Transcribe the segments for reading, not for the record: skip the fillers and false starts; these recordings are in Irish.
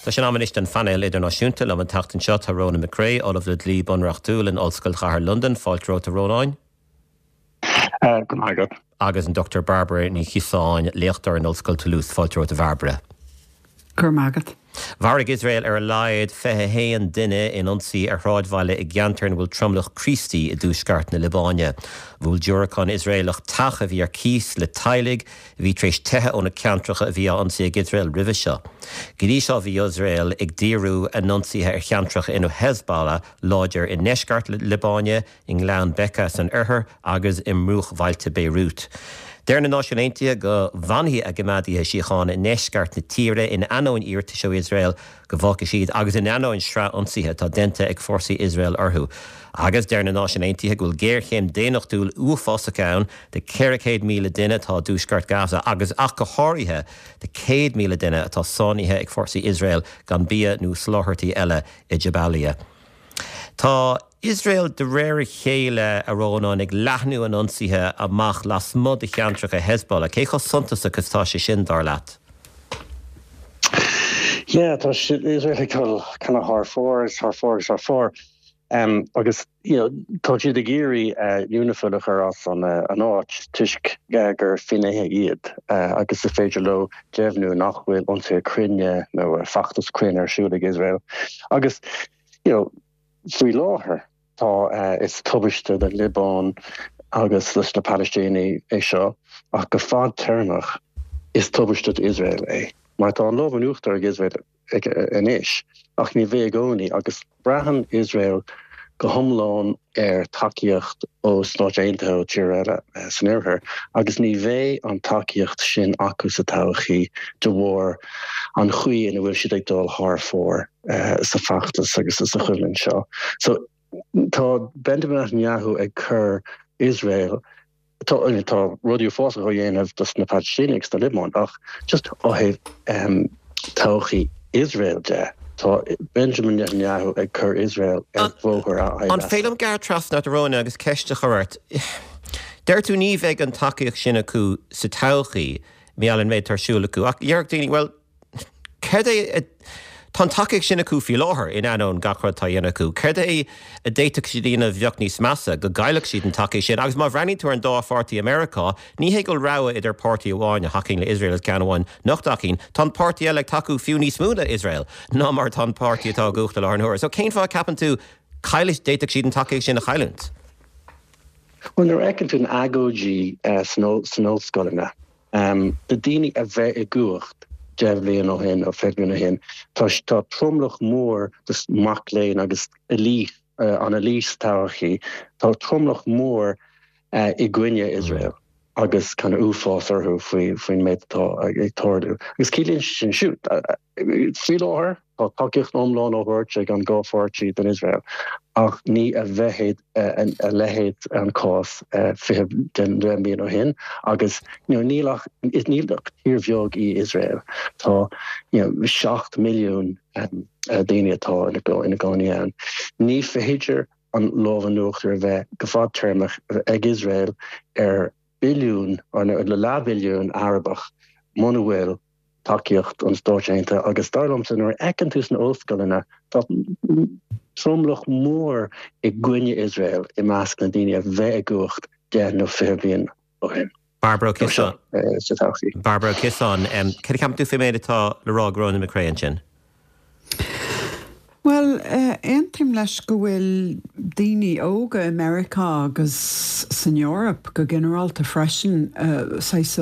Tá sé in am anois don phainéal idirnáisiúnta. Liom an tseachtain seo tá Ronan McCrea, Ollamh le Dlí Bunreachtúil in Ollscoil Chathair Londan. Fáilte romhat a Rónáin. Go raibh maith agat. Agus an Dr Bairbre Ní Chiosáin, léachtóir in Ollscoil Toulouse. Fáilte romhat a Bhairbre. Go raibh maith agat. Mharaigh Iosrael ar a laghad 21 duine in ionsaí ar shráidbhaile i gceantar ina bhfuil tromlach Críostaí i dtuaisceart na Liobáine. Bhuail diúracán Iosraelach teach a bhí ar cíos le teaghlaigh a bhí tar éis teitheadh ó na ceantracha a bhí á n-ionsaí ag Iosrael roimhe seo. Go dtí seo bhí Iosrael ag díriú a n-ionsaithe ar cheantracha ina raibh Hezbollah láidir i ndeisceart na Liobáine, i nGleann Bekaa san oirthear agus i mbruachbhailte Beirut. Deir na Náisiúin Aontaithe go bhfanfaidh a gcoimeádaithe síochána i ndeisceart na tíre in ainneoin iarratais ó Iosrael go bhfágfaidh siad agus in ainneoin sraith ionsaithe atá déanta ag fórsaí Iosrael orthu. Agus deir na Náisiúin Aontaithe go bhfuil géarchéim daonnachtúil uafásach ann do 400,000 duine atá i dtuaisceart Gaza agus ach go háirithe do 100,000 duine atá sáinnithe ag fórsaí Iosrael gan bia nó soláthairtí eile i Jabalia. Tá Iosrael de réir a chéile, a Rónáin, ag leathnú a n-ionsaithe amach lasmuigh de cheantracha Hezbollah. Cé chomh suntasach is atá sé sin, dar leat? Yeah, tá Iosrael ag dul kind of thar fóir agus thar fóir agus thar fóir. Agus you know, tá siad ag iarraidh UNIFIL a chur as an áit toisc gur finnéithe iad agus is féidir leo deimhniú nach bhfuil ionsaithe cruinne nó feachtas cruinn ar siúl ag Iosrael. Agus you know, faoi láthair tá is tubaiste don Liobáin agus leis na Palaistínigh é seo ach go fadtéarmach is tubaiste d'Iosrael é mar tá an lámh in uachtar ag Iosrael anois ach ní bheidh i gcónaí agus braitheann Iosrael go hiomlán ar tacaíocht ó Stáit Aontaithe ó tíortha eile san oirthear agus ní bheidh an tacaíocht sin acu sa todhchaí de bharr an chaoi ina bhfuil siad ag dul thar fóir sa feachtas agus sa choimhlint seo. So tá Benjamin Netanyahu ag cur Iosrael Tá tá rudaí uafásacha á dhéanamh dos na Palaistínigh sa Liobáin ach just ó thaobh todhchaí Iosrael de, tá Benjamin Netanyahu ag cur Iosrael ar bhóthar a An féidir liom gearradh trasna ort a Rónáin agus ceist a chur ort? Deir tú ní bheidh an tacaíocht sin acu sa todhchaí, mar gheall ar an méid atá ar siúl acu, ach déarfadh daoine, bhuel, Céard é, tá an tacaíocht sin acu faoi láthair, in ainneoin gach rud atá á dhéanamh acu. Céard é a d'fhéadfadh siad a dhéanamh a bheadh níos measa, go gcaillfeadh siad an tacaíocht sin? Agus má bhreathnaíonn tú ar an dá pháirtí i Meiriceá, ní hé go bhfuil rogha idir páirtí amháin a thacaíonn le Iosrael agus ceann amháin nach dtacaíonn. Tá an páirtí eile ag tacú fiú níos mó le Iosrael ná mar atá an páirtí atá i gcumhacht i láthair na huaire. So cén fáth a ceapann tú caillfidh, d'fhéadfadh siad an tacaíocht sin a chailliúint? Bhuel, nuair a fheiceann tú na agóidí san ollscoileanna, Na daoine a bheith i gcumhacht 10 bhliain ó shin nó 20 bliain ó shin, tá tá tromlach mór de mac léinn agus elite, an elite sa todhchaí, tá tromlach mór i gcoinne Iosrael agus kind of uafás orthu faoi faoin méid atá ag tarlú. Agus ciallaíonn sin siúd, faoi láthair, Tá tacaíocht iomlán á thabhairt ag an dhá pháirtí don Iosrael ach ní a bheidh a leithéid an cás 20 deich mbliana ó shin agus níl ach níl ach tír bheag í Iosrael. Tá 7 milliún daoine atá ina gcónaí ann. Ní féidir an lámh in uachtar a bheith go fadtéarmach ag Iosrael ar billiún nó leathbhilliún Arabach muna bhfuil tacaíocht an Stáit Aontaithe agus dar liomsa nuair a fheiceann tú sna ollscoileanna tá tromlach mór i gcoinne Iosrael i measc na daoine a bheith i gcumhacht 10 nó 20 bliain ó shin. Bairbre Ó Ciosáin. Sa todhchaí. Bairbre Ó Ciosáin, céard a cheapann tú faoin méid atá le rá ag Ronan McCrea ansin? Bhuel, aontaím leis go bhfuil daoine óga i Meiriceá agus san Eoraip go ginearálta freisin, saghas,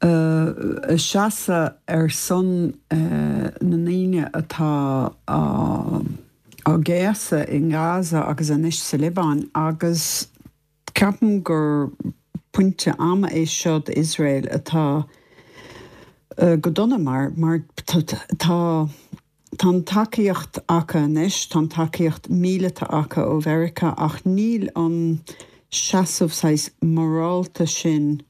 ag seasamh ar son na ndaoine atá á gcéasadh i nGaza agus anois sa Liobáin agus Ceapaim gur pointe ama é seo d'Iosrael atá go dona mar mar tá tá an tacaíocht acu anois, tá an tacaíocht míleata acu ó Mheiriceá ach níl an seasamh saghas morálta sin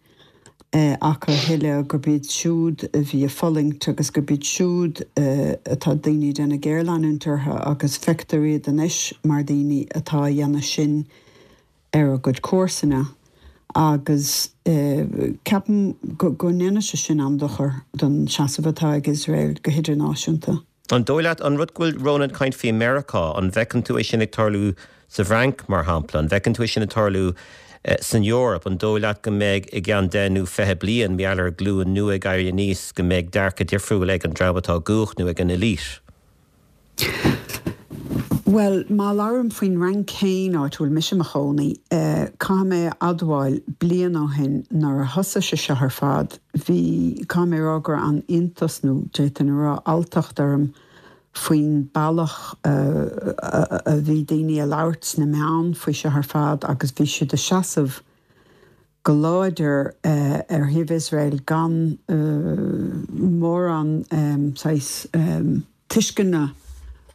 acu a thuilleadh gurb iad siúd a bhí ag fulaingt agus gurb iad siúd atá daoine ag déanamh géarleanúint orthu agus feictear iad anois mar daoine atá a dhéanamh sin ar a gcuid comharsana. Agus ceapaim go ndéanfaidh sé sin an-dochar don seasamh atá ag Iosrael go hidirnáisiúnta. An dóigh leat, an rud go bhfuil Rónán ag caint faoi Meiriceá, an bhfeiceann tú é sin ag tarlú sa bhFrainc, mar shampla? An bhfeiceann tú é sin ag tarlú san Eoraip? An dóigh leat go mbeidh i gceann 10 nó 20 bliain, mar gheall ar glúin nua ag éirí aníos, go mbeidh dearcadh difriúil ag an dream atá i gcumhacht nó ag an elite? Bhuel, má labhraím faoin Fhrainc féin, áit a bhfuil mise i mo chónaí, caithfidh mé a admháil, bliain ó shin, nuair a thosaigh sé seo ar fad, bhí, caithfidh mé a rá go raibh an-iontas, nó d'fhéadfainn a rá alltacht orm faoin bealach a bhí daoine ag labhairt sna meáin faoi seo ar fad agus bhí siad ag seasamh go láidir ar thaobh Iosrael gan mórán saghas tuisceana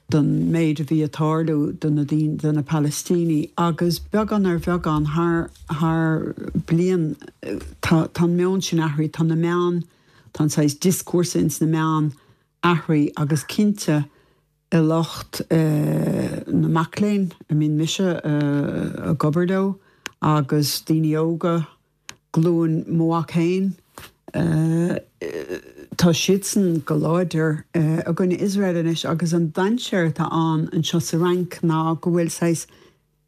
don méid a bhí ag tarlú do na daoine, do na Palaistínigh. Agus beagán ar bheagán thar thar bliain tá tá an meon sin athraithe, tá na meáin, tá an saghas dioscúrsa ins na meáin athraithe agus cinnte i lucht na mac léinn a mbíonn mise ag obair leo agus daoine óga, glúin mo mhac féin, tá siadsan go láidir i gcoinne Iosrael anois agus an dainséar atá ann anseo sa Fhrainc ná go bhfuil saghas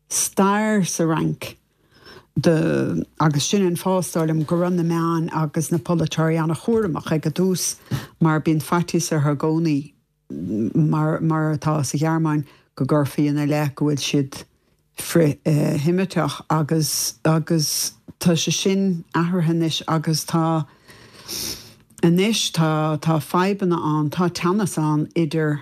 stair sa Fhrainc de agus sin an fáth, is dóigh liom, go raibh na meáin agus na polaiteoirí an-chúramach ag an tús mar bíonn faitíos orthu i gcónaí. mar mar atá sa Ghearmáin, go gcuirfí ina leith go bhfuil siad frith-Sheimiteach agus agus tá sé sin athraithe anois agus tá anois tá tá fadhbanna ann, tá teannas ann idir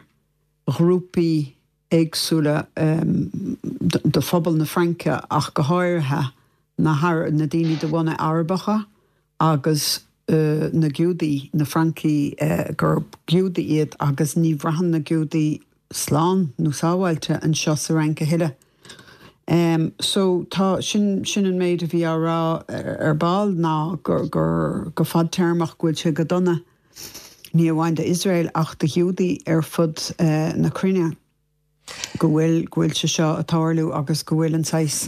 ghrúpaí éagsúla de phobal na Fraince ach go háirithe na na daoine de bhunadh Arabacha agus na Giúdaigh, na Francaigh gur Giúdaigh iad agus ní bhraitheann na Giúdaigh slán nó sábháilte anseo sa Fhrainc a thuilleadh. So tá, sin, sin an méid a bhí á rá ar ball ná gur, gur, go fadtéarmach go bhfuil sé go dona, ní amháin d'Iosrael ach do Ghiúdaigh ar fud na cruinne. go bhfuil, go bhfuil sé seo ag tarlú agus go bhfuil an saghas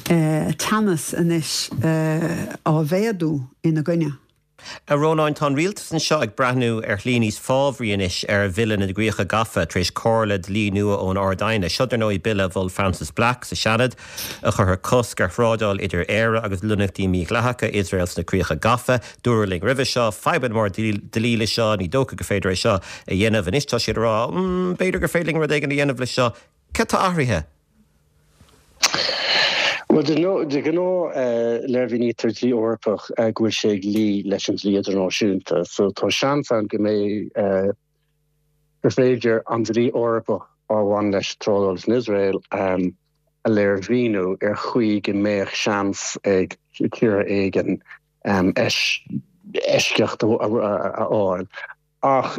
teannas anois á mhéadú ina gcoinne. A Rónáin, tá an rialtas anseo ag breathnú ar shlí níos fábhraí anois ar Bhille na gCríocha Gafa tar éis comhairle dlí nua ón Ard-Aighne. Seo, dar ndóigh, bille a mhol Frances Black sa Seanad a chuirfeadh cosc ar thrádáil idir Éire agus lonnaíochtaí mídhleathacha Iosrael sna Críocha Gafa. Dúradh linn roimhe seo, fadhbanna móra dlí le seo, ní dócha gur féidir é seo a dhéanamh. Anois tá siad ag rá, b'fhéidir gur féidir linn rud éigin a dhéanamh le seo. Cad tá athraithe? Bhuel, de ghnáth léirmhínítear dlí Eorpach go bhfuil sé ag luí leis an dlí idirnáisiúnta. So tá seans ann go mbeidh, gur féidir an dlí Eorpach a bhain leis trádáil san Iosrael a léirmhíniú ar chaoi go mbeadh seans ag tíortha éigin eisceacht a fháil. Ach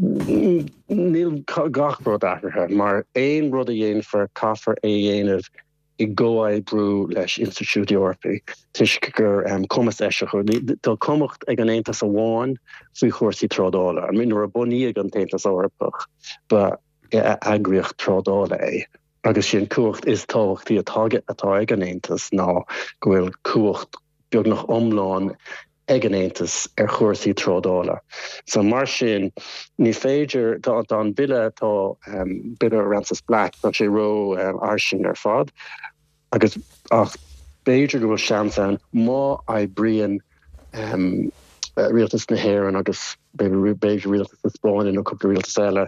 níl gach rud athraithe, mar aon rud a dhéanfar, caithfear é a dhéanamh i gcomhoibriú leis institiúidí Eorpaí, toisc gur cumas eisiach, tá cumhacht ag an Aontas amháin faoi chúrsaí trádála. I mean, nuair a bunaíodh an tAontas Eorpach, ba eagraíocht trádála é. Agus sin cumhacht is tábhachtaí atá ag an Aontas ná go bhfuil cumhacht beagnach iomlán ag an Aontas ar chúrsaí trádála. So mar sin, ní féidir, tá an bille, tá bille Frances Black, tá sé ró-fhairsing ar fad agus ach b'fhéidir go bhfuil seans ann má oibríonn rialtas na hÉireann agus b'fhéidir rialtas na Spáinne nó cúpla rialtas eile,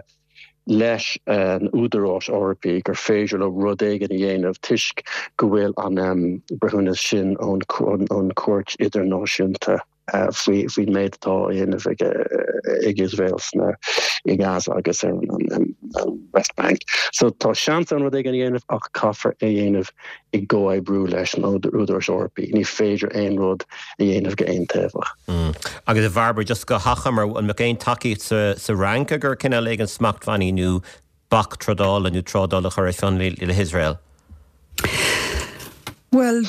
leis an Údaráis Eorpaí gur féidir leo rud éigin a dhéanamh toisc go bhfuil an breithiúnas sin ón Chúirt Idirnáisiúnta faoin méid atá á dhéanamh ag Iosrael sna i Gaza agus ar an West Bank. So tá seans ann rud éigin a dhéanamh ach caithfear é a dhéanamh i gcomhoibriú leis an Údaráis Eorpaí. Ní féidir aon rud a dhéanamh go aontaobhach. Agus a Bhairbre, just go hachomair, an mbeadh aon tacaíocht sa Fhrainc agur cineál éigin smachtbhannaí nó bac trádála nó trádáil a chur ar fionraí le hIosrael? Bhuel,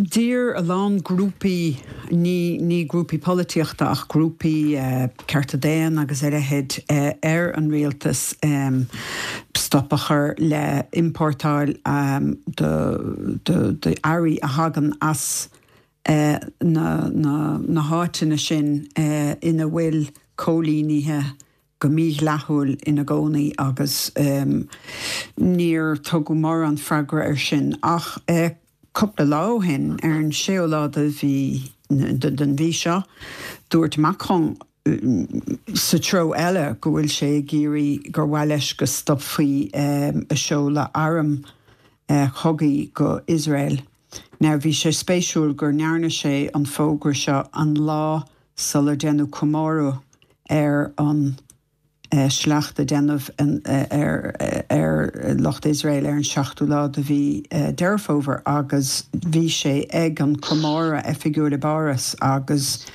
d'iarr a lán grúpaí, ní ní grúpaí polaitíochta ach grúpaí cearta daonna agus a leithéid, ar an rialtas stop a chur le importáil d'earraí a thagann as na na háiteanna sin ina bhfuil coilínithe go mídhleathúil ina gcónaí agus níor tugadh mórán freagra air sin ach cúpla lá ó shin, ar an séú lá de mhí den mhí seo, dúirt Macron sa treo eile go bhfuil sé ag iarraidh gur mhaith leis go stopfaí a seoladh arm chogaidh go Iosrael. Now bhí sé spéisiúil gur ndearna sé an fógra seo an lá sular deineadh comóradh ar an sleacht a deineadh ar lucht Iosrael ar an seachtú lá de mhí Deireadh Fómhair agus bhí sé ag an comóradh oifigiúil i bPáras agus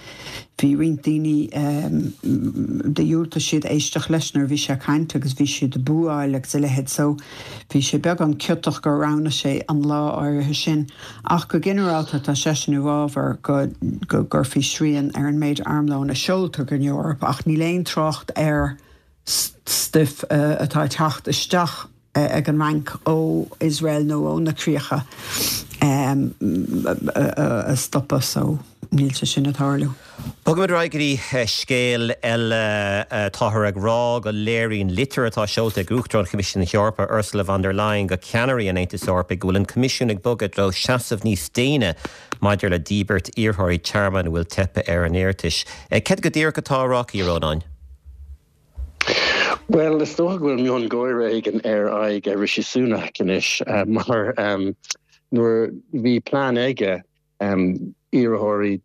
bhí roinnt daoine dhiúltaigh siad éisteacht leis nuair a bhí sé ag caint agus bhí siad ag búáil agus a leithéid so bhí sé beagán ciotach gur roghnaigh sé an lá áirithe sin. Ach go ginearálta tá seisean i bhfabhar go gcuirfí srian ar an méid armlóin a seoltar go Eoraip ach níl aon trácht ar stuif atá ag teacht isteach ag an Fhrainc ó Iosrael nó ó na críocha a stopadh so níl sé sin ag tarlú. Bogfaimid ar aghaidh go dtí scéal eile. Táthar ag rá go léiríonn litir atá seolta ag Uachtarán Choimisiún na hEorpa, Ursula von der Leyen, go ceannairí an Aontais Eorpaigh go bhfuil an Coimisiún ag bogadh i dtreo seasamh níos déine maidir le díbirt iarrthóirí tearmainn a bhfuil teipthe ar a n-iarratais. Céard go díreach atá á rá aici, a Rónáin? Bhuel, is dócha go bhfuil miongháire éigin ar aghaidh Rishi Sunak anois mar nuair bhí plean aige iarrthóirí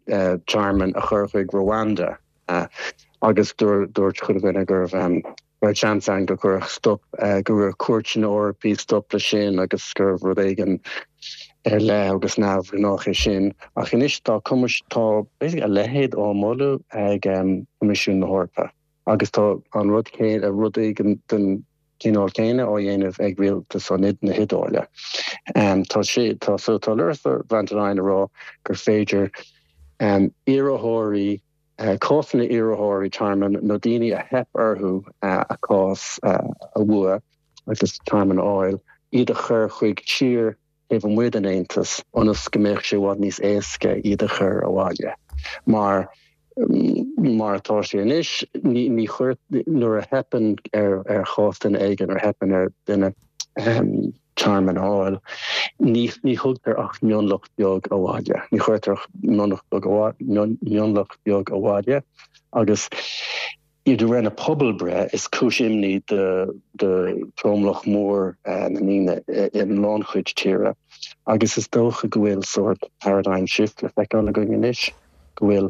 tearmainn a chur chuig Rwanda agus dúirt chuile dhuine go raibh seans ann go gcuirfeadh stop, go gcuirfeadh cúirteanna Eorpaí stop leis sin agus gurbh rud éigin ar leith agus neamhghnách é sin. Ach anois tá tá basically a leithéid á moladh ag Coimisiún na hEorpa agus tá an rud céanna, rud éigin den cineál céanna á dhéanamh ag rialtas na hIodáile. Tá sé, tá, so tá Ursula von der Leyen ag rá gur féidir iarrthóirí, cásanna iarrthóirí tearmainn nó daoine a theip orthu a cás a bhua agus tearmann a fháil, iad a chur chuig tír taobh amuigh den Aontas ionas go mbeadh sé i bhfad níos éasca iad a chur abhaile. Mar, mar atá sé anois, ní, ní chuir, nuair a theipeann ar, ar chás duine éigin, nuair a theipeann ar duine tearmann a fháil, ní, ní thugtar ach mionlach beag abhaile. Ní chuirtear ach mionlach beag, mionlach beag abhaile agus De réir na pobalbhreithe, is cúis imní do thromlach mór na ndaoine i lánchuid tíre agus is dócha go bhfuil sórt paradigm shift le feiceáil againn anois, go bhfuil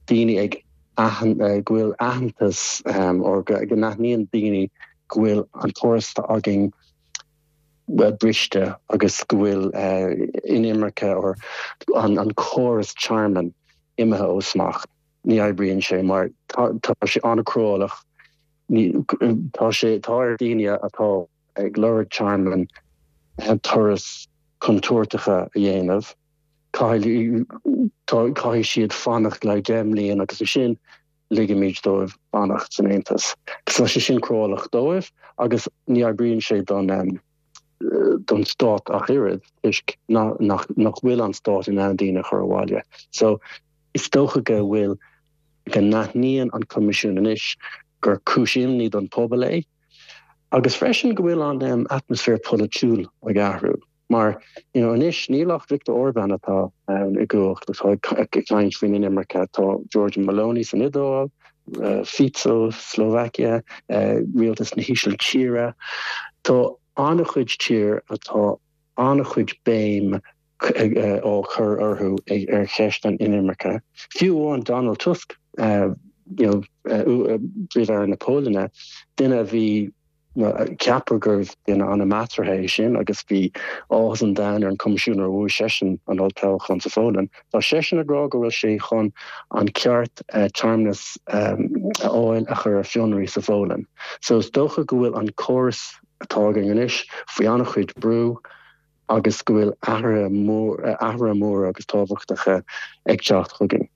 daoine ag go bhfuil aitheantas or go n-aithníonn daoine go bhfuil an córas atá againn briste agus go bhfuil inimirce or an córas tearmainn imithe ó smacht. Ní oibríonn sé mar tá sé an-chruálach. Tá sé, tá ar daoine atá ag lorg tearmainn turas contúirteacha a dhéanamh. Caithfidh, caithfidh siad fanacht le 10 mbliain agus ansin ligimid dóibh fanacht san Aontas. Tá sé sin cruálach dóibh agus ní oibríonn sé don don stát ach oiread toisc nach bhfuil an stát in ann daoine a chur abhaile. So is dócha go bhfuil, go n-aithníonn an Coimisiún anois gur cúis imní don pobal é agus freisin go bhfuil an atmaisféar polaitiúil ag athrú mar you know anois níl ach Viktor Orbán atá ann i gcumhacht atá ag caint faoin inimirce, tá Giorgia Meloni san Iodáil, Fico, Slovakia, rialtas na hÍsiltíre. Tá an-chuid tír atá an-chuid béim á cur orthu ar cheist an inimirce. Fiú amháin Donald Tusk, you know, Príomh-Aire na Polainne, duine a bhí Ceapadh gurbh duine an-measartha é sin agus bhí áthas an domhain ar an Choimisiún nuair a bhuaigh seisean an olltoghchán sa Pholainn. Tá seisean ag rá go bhfuil sé chun an ceart tearmannas a fháil a chur ar fionraí sa Pholainn. So is dócha go bhfuil an córas atá againn anois faoi an-chuid brú. agus go bhfuil athruithe athruithe móra agus tábhachtacha ag teacht chugainn.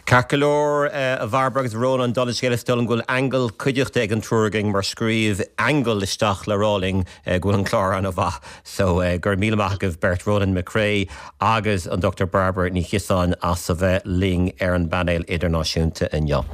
Ceart go leor, a Bhairbre agus a Rónáin, dála an scéil is dóigh liom go bhfuil aingeal cuideachta ag an triúr againn mar scríobh aingeal isteach le rá linn go bhfuil an clár an-mhaith. So, go raibh míle maith agaibh beirt, Rónán Mac Craith agus an Dr Bairbre Ní Chiosáin as a bheith linn ar an bpainéal idirnáisiúnta inniu.